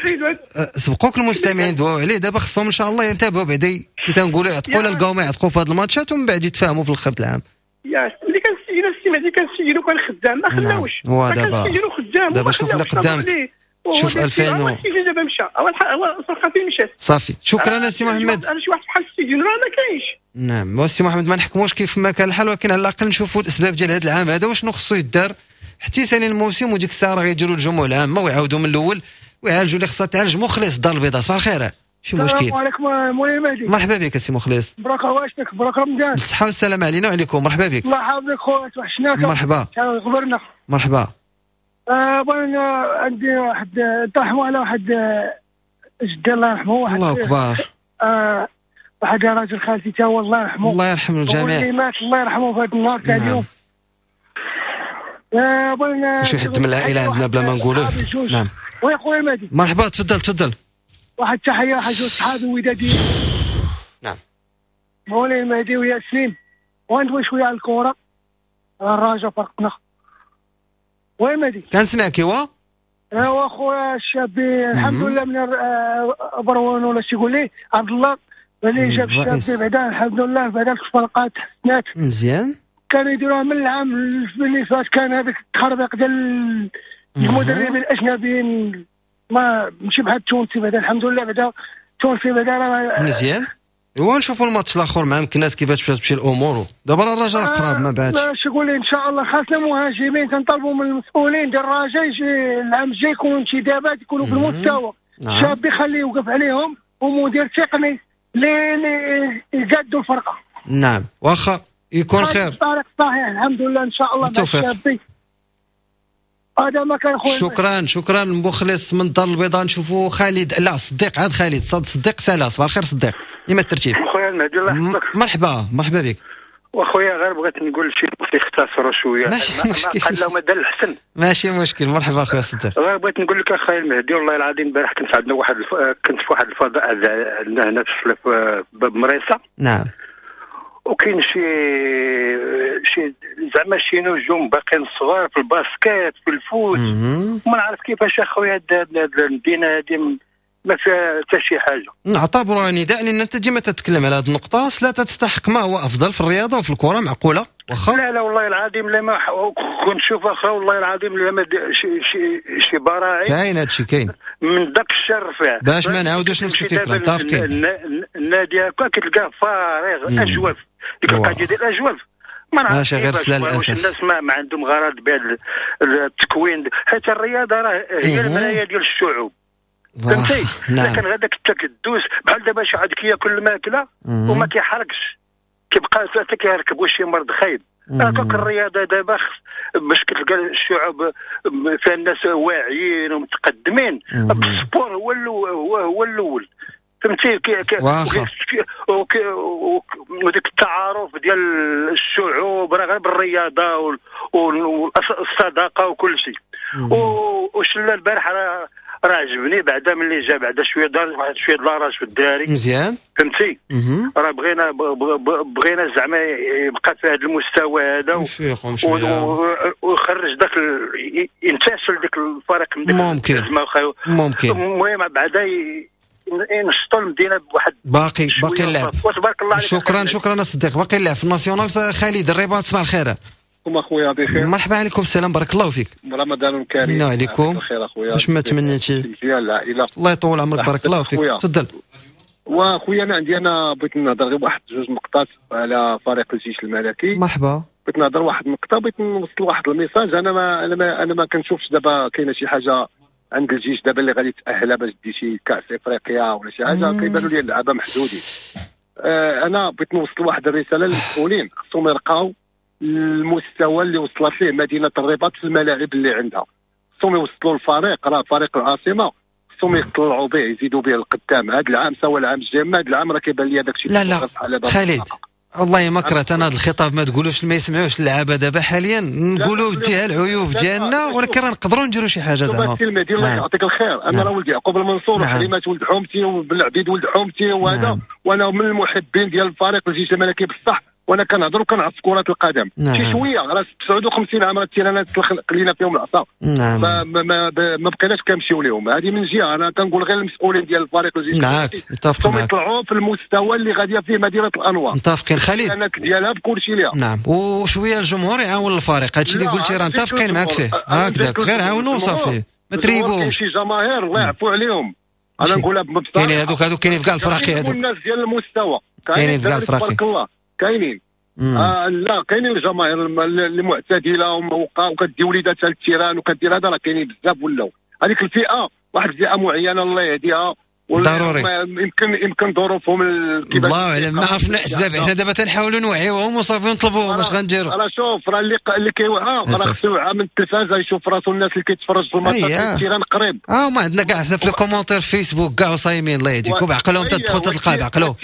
سبقوك المستمعين دواو عليه. دابا خصهم ان شاء الله ينتبهوا بعدا كي تنقولوا يعتقوا لا لقاو ما يعتقوا في هاد الماتشات ومن بعد يتفاهموا في الاخر العام. يا ملي كنسجلوا السي مهدي كنسجلوا كان خدام ما خلاوش. دابا كنسجلوا خدام دابا شوف اللي قدامك. شوف ألفين و دابا مشى هو الفرقة فين مشات. صافي شكرا السي محمد. انا شي واحد بحال السيدي راه ما كاينش. نعم السي محمد ما نحكموش كيف ما كان الحال، ولكن على الاقل نشوفوا الاسباب ديال هذا العام هذا وشنو خصو يدار حتى يسالي الموسم، وديك الساعة راه غيديروا الجموع العامة ويعاودوا من الاول ويعالجوا اللي خصها تعالج. مخلص الدار البيضاء صباح الخير. شي مشكل. السلام عليكم مولاي مهدي. مرحبا بك السي مخلص. مبروك عواشتك، مبروك رمضان. بالصحة والسلامة علينا وعليكم. مرحبا بك. الله يحفظك خويا، توحشناك. مرحبا. غبرنا. مرحبا. آه بغينا عندي واحد ترحموا على واحد جدي الله يرحمه، واحد الله اكبر، آه واحد راجل خالتي تا هو الله يرحمه. الله يرحم الجميع. اللي مات الله يرحمه في هذا النهار تاع اليوم. آه بغينا شي حد من العائلة عندنا بلا ما نقولوه. نعم. وي خويا مهدي. مرحبا، تفضل تفضل. واحد التحية واحد جوج صحابي وداديين. نعم. مولاي المهدي وياسين، وندوي شوية على الكره، الرجاء فرقنا. oui مهدي كنسمعك. ايوا ايوا خويا الشابي الحمد لله من بروان ولا شي يقول لي عبد الله اللي جاب الشابي بعدا الحمد لله، بعدا الفرقات تحسنات مزيان. كانوا يديروها من العام اللي فات، كان هذاك التخربيق ديال المدربين الاجنبيين ما ماشي بحال التونسي بعدا الحمد لله، بعدا التونسي بعدا راه مزيان. ايوا نشوفوا الماتش الاخر مع مكناس كيفاش باش تمشي الامور. دابا راه الرجاء قراب ما بعدش. باش نقول ان شاء الله خاصنا مهاجمين، كنطالبوا من المسؤولين ديال الرجاء يجي العام الجاي يكونوا انتدابات يكونوا في المستوى. نعم. شاب يخليه يوقف عليهم ومدير تقني اللي يقادوا الفرقة. نعم واخا يكون خير. الطريق صحيح الحمد لله ان شاء الله مع الشابي. هذا ما كان خويا. شكرا شكرا مخلص من الدار البيضاء. نشوفوا خالد، لا صديق، عاد خالد صديق سلا. صباح الخير صديق، لما الترتيب خويا المهدي الله يحفظك. مرحبا مرحبا بك. واخويا غير بغيت نقول شي يختصروا شوية، ماشي مشكل، قال لهم هذا الحسن ماشي مشكل. مرحبا اخويا صديق. غير بغيت نقول لك اخويا المهدي والله العظيم البارح كنت عندنا واحد الف... كنت في واحد الفضاء عندنا هنا في باب مريصه. نعم. وكاين شي شي زعما شي نجوم باقيين صغار في ال basket في ال foot، وما نعرف كيفاش اخويا هاد المدينة هادي ما فيها حتى شي حاجة. نعتبرها نداء، لان انت ديما تتكلم على هذه النقطة، لا تستحق ما هو افضل في الرياضة وفي الكره. معقولة واخا؟ لا لا والله العظيم لا ما كنت نشوف اخا والله العظيم لا ما شي شي شي براعي كاين هادشي كاين من داك الشر فيه باش ما نعاودوش نفس الفكرة. متفقين. النادي هكا كتلقاه فارغ اجوف، ديك القضية ديال الاجوف ما نعرفش غير سلا للاسف. الناس ما, ما عندهم غرض بهذا التكوين، حيت الرياضة راه هي المراية ديال الشعوب فهمتي. لكن غاداك التكدس بحال دابا شي عاد كياكل الماكلة وما كيحرقش، كيبقى حتى كيركبوا شي مرض خايب. هكاك الرياضة دابا باش كتلقى الشعوب فيها الناس واعيين ومتقدمين، ال sport هو هو هو الاول فهمتي. وديك التعارف ديال الشعوب راه غير بالرياضة والصداقة وكل شيء. وشلا البارح راه راه عجبني بعدا ملي جا بعدا شوية دار واحد شوية د la rage في الدراري مزيان فهمتي. راه بغينا بغينا زعما يبقى في هذا المستوى هذا ويخرج داك ينتشل ديك الفريق من ديك ممكن ممكن. المهم بعدا ينشطوا المدينة بواحد باقي باقي اللعب. وتبارك الله عليك. شكرا شكرا الصديق. باقي اللعب في ال national. خالد الرباط صباح الخير. اخويا بخير. مرحبا عليكم السلام بارك الله فيك. رمضان كريم. عليكم بخير اخويا. واش ما تمنيتي مزيان العائلة. الله يطول عمرك بارك الله فيك. تفضل. واخويا انا عندي انا بغيت نهضر غير واحد جوج نقطات على فريق الجيش الملكي. مرحبا. بغيت نهضر واحد النقطة، بغيت نوصل واحد ال message. انا ما انا ما انا ما كنشوفش دابا كاينه شي حاجة عند الجيش دابا اللي غادي تاهلها باش دي شي كاس افريقيا ولا شي حاجة، كيبانوا لي اللعابه محدودين. آه انا بغيت نوصل واحد الرسالة للمسؤولين، خصهم يرقاو المستوى اللي وصلت ليه مدينة الرباط في الملاعب اللي عندها، خصهم يوصلوا الفريق، راه فريق العاصمة خصهم يطلعوا به يزيدوا به القدام هذا العام سواء العام الجاي. ما هذا العام راه كيبان لي داك الشيء. لا لا خالد والله ما كرهت انا هذا الخطاب، ما تقولوش ما يسمعوش اللعابه دابا حاليا، نقولوا ديها العيوب ديالنا ولكن راه نقدروا نديروا شي حاجة زعما. المهدي الله يعطيك الخير. انا راه ولد يعقوب المنصور وحليمات ولد حومتي وبالعبيد ولد حومتي وهذا، وانا من المحبين ديال الفريق الجيش الملكي بصح، وانا كنهضر وكنعرف كرة القدم. نعم. شي شوية راه تسعة وخمسين عام راه التيرانات خلينا فيهم العصا. نعم. ما ما, ما بقيناش كنمشيو لهم. هذه من جهة. انا كنقول غير المسؤولين ديال الفريق الجيش معاك متفق معاك، يطلعوا في المستوى اللي غادية فيه مدينة الانوار. متفقين خالد ديالها بكل شيء ليها. نعم. وشوية الجمهور يعاون الفريق، هادشي اللي قلتي راه متفقين معاك فيه هكذاك، غير عاونوا وصافي ما تريبوهمش. شي جماهير الله يعفو عليهم، انا نقولها بصراحة كاينين هذوك هذوك كاينين في كاع الفراقي، هذوك الناس ديال المستوى كاينين في كاع الفراقي تبارك الله كاينين. آه لا كاينين الجماهير اللي معتدلة وكدي وليداتها لل terrain وكدير هذا، راه كاينين بزاف ولاو. هذيك الفئة واحد الفئة معينة الله يهديها ضروري يمكن يمكن ظروفهم الله اعلم، ما عرفنا اسباب، حنا دابا تنحاولوا نوعيوهم وصافي نطلبوهم، اش غنديروا؟ راه شوف راه اللي اللي كيوعى راه خصو يوعى من التلفازه، يشوف راسو الناس اللي كيتفرج في الماتشات ال terrain قريب. اه ما عندنا كاع في les commentaires في فيسبوك كاع وصايمين الله يهديكم، بعقلهم تدخل تلقى بعقلو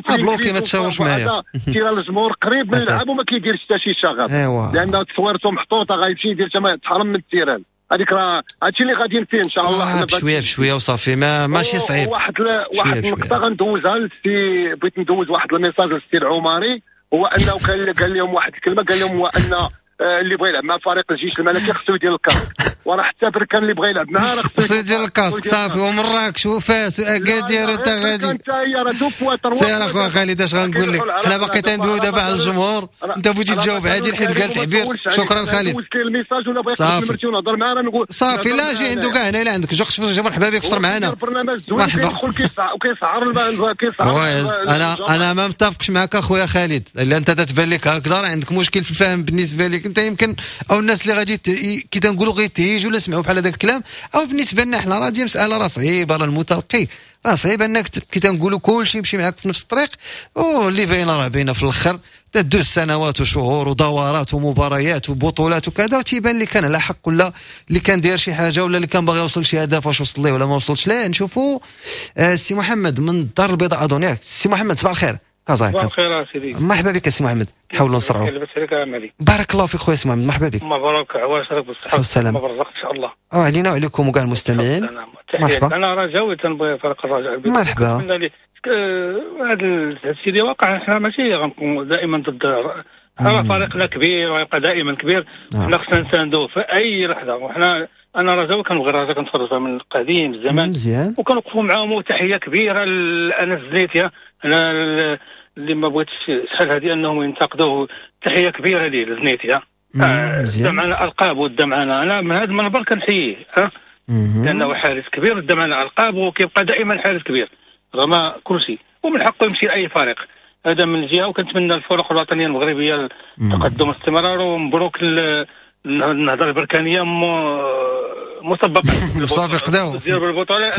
bloqué ما تشاورش معايا. terrain الجمهور قريب من الملعب وما كيديرش حتى شي شغب، لان تصويرته محطوطة غيمشي يدير تما تحرم من ال terrain. هذيك راه هادشي اللي غاديين فيه ان شاء الله. آه بشوية بشوية وصافي، ما ماشي صعيب. واحد ل... واحد النقطة غندوزها للسي، بغيت ندوز واحد ال message للسي العمري، هو انه قال قال لهم واحد الكلمة، قال لهم هو ان اللي بغى يلعب مع فريق الجيش الملكي خصو يدير ال casque، وراه حتى بركان اللي بغى يلعب معاه راه خصو يدير ال casque صافي، ومراكش وفاس واكادير وانت غادي انت هي راه deux fois trois. سير اخويا خالد اش غنقول لك، حنا باقي تندويو دابا على الجمهور، انت بغيتي تجاوب عادل حيت قال تعبير. شكرا خالد. ال message ولا بغيت نمرتي ونهضر معاه راه نقول صافي، لا جي عنده كاع هنا، الا عندك جوج مرحبا بك، فطر معنا. مرحبا. كيسعر كيسعر. انا انا ما متفقش معك اخويا خالد، الا انت تتبان لك هكذا راه عندك مشكل في الفهم بالنسبة لك انت، يمكن او الناس اللي غادي كي تنقولوا غيتهيجوا ولا سمعوا بحال هذاك الكلام، او بالنسبة لنا حنا راه دي مسالة راه صعيبة، راه المتلقي راه صعيب انك كي تنقولوا كلشي يمشي معاك في نفس الطريق، واللي باينة راه باينة في الاخر تدوز سنوات وشهور ودورات ومباريات وبطولات وكذا، وتيبان اللي كان على حق ولا اللي كان داير شي حاجة ولا اللي كان باغي يوصل شي هدف واش وصل ليه ولا ما وصلش ليه. نشوفوا السي محمد من الدار البيضاء اظن، ياك السي محمد؟ صباح الخير. صباح الخير سيدي، مرحبا بك السي محمد، حاولوا نسرعوا. بارك الله فيك خويا سي محمد، مرحبا بك. مبروك عواشرك بالصحة والسلامة والرزق ان شاء الله. اه علينا وعليكم وكاع المستمعين. مرحبا. انا رجاوي تنبغي فريق الرجاء. مرحبا. هذا الشيء اللي واقع حنا ماشي غنكون دائما ضد، راه فريقنا كبير ويبقى دائما كبير، حنا خصنا نساندوه في اي لحظة. وحنا انا رجاوي كنبغي الرجاء، كنتفرج من القديم الزمان مزيان، وكنوقفوا معاهم. وتحية كبيرة لانس زنيتيا، انا اللي ما بغيتش شحال هذه انهم ينتقدوه، تحية كبيرة ليه لزنيتيا، دا معنا القاب ودا معنا، انا من هذا المنبر كنحييه لانه حارس كبير ودا معنا القاب وكيبقى دائما حارس كبير رغم كل شيء، ومن حقه يمشي لاي فريق. هذا من جهة. وكنتمنى الفرق الوطنية المغربية التقدم والاستمرار، ومبروك النهضة البركانيه مسبقا صافي قداو بالبطولة،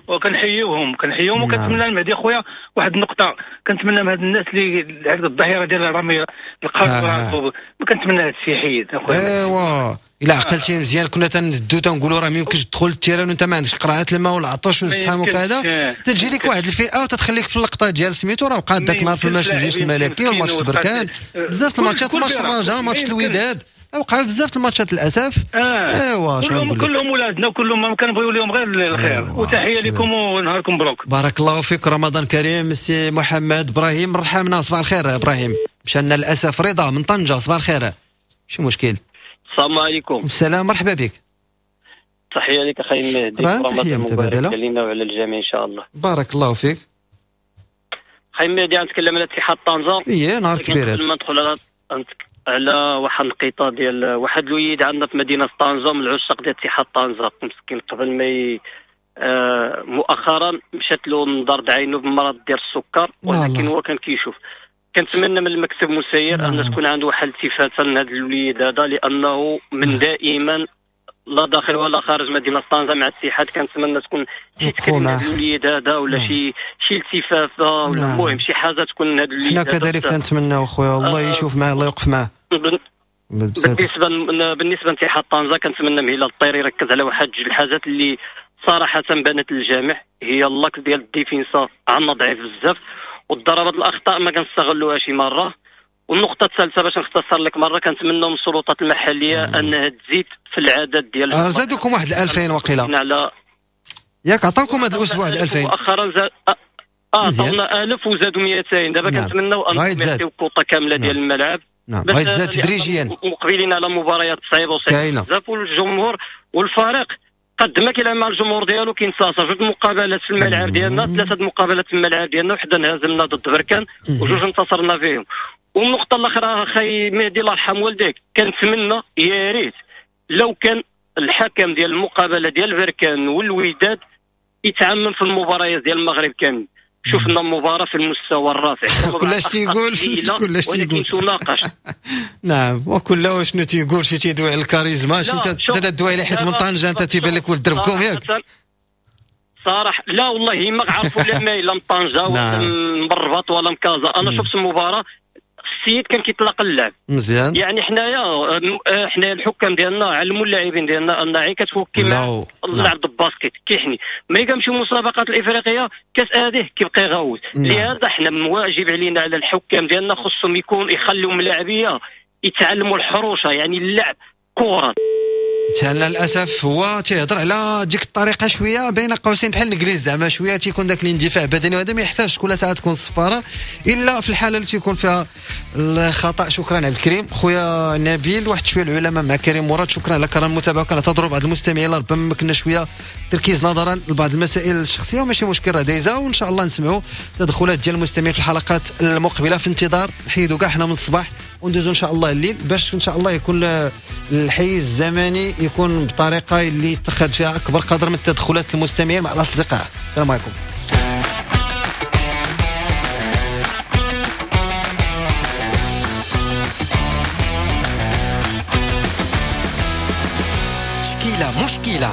وكنحييوهم كنحييهم. وكنتمنى المهدي خويا واحد النقطة، كنتمنى من هاد الناس اللي هاد الظاهرة ديال الرمي القاصرة، ما كنتمنى هاد الشيء يحيد اخويا. ايوا الا عقلتي مزيان كنا تندو تنقولوا راه ما يمكنش تدخل ال terrain وانت ما عندكش قرعه الماء والعطش والزحام وكذا، تجي لك واحد الفئة وتتخليك في اللقطة ديال سميتو راه وقع داك النهار في الماتش الجيش الملكي والماتش بركان، بزاف الماتشات، ماتش الرجاء، ماتش الوداد، وقعوا بزاف الماتشات للاسف. آه. ايوا كلهم كلهم ولادنا وكلهم ما كنبغيو لهم غير الخير. أيوة. وتحية لكم ونهاركم مبروك. بارك الله فيك، رمضان كريم. سي محمد ابراهيم رحمنا، صباح الخير ابراهيم. مشانا للاسف رضا من طنجه، صباح الخير. شو مشكل؟ السلام عليكم. السلام، مرحبا بك. تحية لك اخي المهدي، رمضان مبارك علينا وعلى الجميع ان شاء الله. بارك الله فيك. اخي المهدي غنتكلم على اتحاد طنجه. ايه نهار كبير. قبل ما ندخل على على واحد القطة ديال واحد الوليد عندنا في مدينة طنجه من العشاق ديال اتحاد طنجه، مسكين قبل ما ي... آه مؤخرا مشات له من دار عينه بمرض ديال السكر، ولكن هو كان كيشوف. كنتمنى من المكتب المسير ان تكون عنده واحد الالتفاته لهذا الوليد هذا، لانه من دائما لا داخل ولا خارج مدينة طنجه مع الاتحاد. كنتمنى تكون شي تكلمه هذا الوليد هذا ولا شي شي التفافه ولا المهم شي حاجة تكون هذا الوليد. حنا كذلك كنتمناو خويا الله يشوف معاه، الله يوقف معاه. بالنسبة بالنسبة لاتحاد طنجه كنتمنى من هلال الطير يركز على واحد جوج الحاجات اللي صراحة بانت للجميع، هي l'axe ديال ال défense عندنا ضعيف بزاف، والضربات الاخطاء ما كنستغلوها شي مرة. والنقطة الثالثة باش نختصر لك مرة، كنتمنى من السلطات المحلية انها تزيد في العدد ديال آه زادوكم واحد ألفين وقيله على ياك، عطاوكم هذا الاسبوع ألفين مؤخرا زاد اه عطاونا ألف وزادوا مئتين. دابا نعم. كنتمناو ان نعطيو كوطه كاملة ديال الملعب. نعم غيتزاد تدريجيا، مقبلين على مباريات صعيبة وصعيبه بزاف، والجمهور والفريق قد ما كيلعب مع الجمهور ديالو كينتصر. جوج مقابلات في الملعب ديالنا، ثلاثة مقابلات في الملعب ديالنا، وحده انهزمنا ضد بركان وجوج انتصرنا فيهم. والنقطة الاخرى اخي مهدي الله يرحم والديك، كنتمنى يا ريت لو كان الحكم ديال المقابلة ديال بركان والوداد يتعمم في المباريات ديال المغرب كامل. شفنا مباراة في المستوى الرافع، كلش تيقول كلش تيقول تناقش. نعم، وكل شنو تيقول شي تيدوي على الكاريزما، شي انت تدوي على حيت من طنجه انت تيبان لك ولد دربكم ياك. صراحة لا والله ما عرفوا لا ما لا من طنجه ولا من الرباط ولا من كازا. انا شفت المباراة السيد كان كيطلق اللعب مزيان. يعني حنايا حنايا الحكام ديالنا علموا اللاعبين ديالنا ان عين كتفوكي مع اللعب ال basket كيحني، ملي كنمشيو المسابقات الافريقية كاس هذه كيبقى يغوت. لهذا حنا واجب علينا على الحكام ديالنا خصهم يكون يخليهم اللاعبيه يتعلموا الحروشه، يعني اللعب كره. للاسف هو تيهضر على ديك الطريقة شوية بين قوسين بحال الانجليز زعما شوية تيكون داك الاندفاع بدني، وهذا ما يحتاجش كل ساعة تكون الصفاره الا في الحالة اللي تيكون فيها الخطا. شكرا عبد الكريم خويا نبيل. واحد شوية العلماء مع كريم مراد، شكرا على كرم المتابعة. كنعتذروا بعض المستمعين ربما كنا شوية تركيز نظرا لبعض المسائل الشخصية وماشي مشكل راه دايزه، وان شاء الله نسمعوا تدخلات ديال المستمعين في الحلقات المقبلة. في انتظار نحيدوا كاع حنا من الصباح وندوزو ان شاء الله الليل باش ان شاء الله يكون الحيز الزمني يكون بطريقة اللي يتخذ فيها اكبر قدر من التدخلات المستمعين مع الاصدقاء. السلام عليكم. مشكلة مشكلة.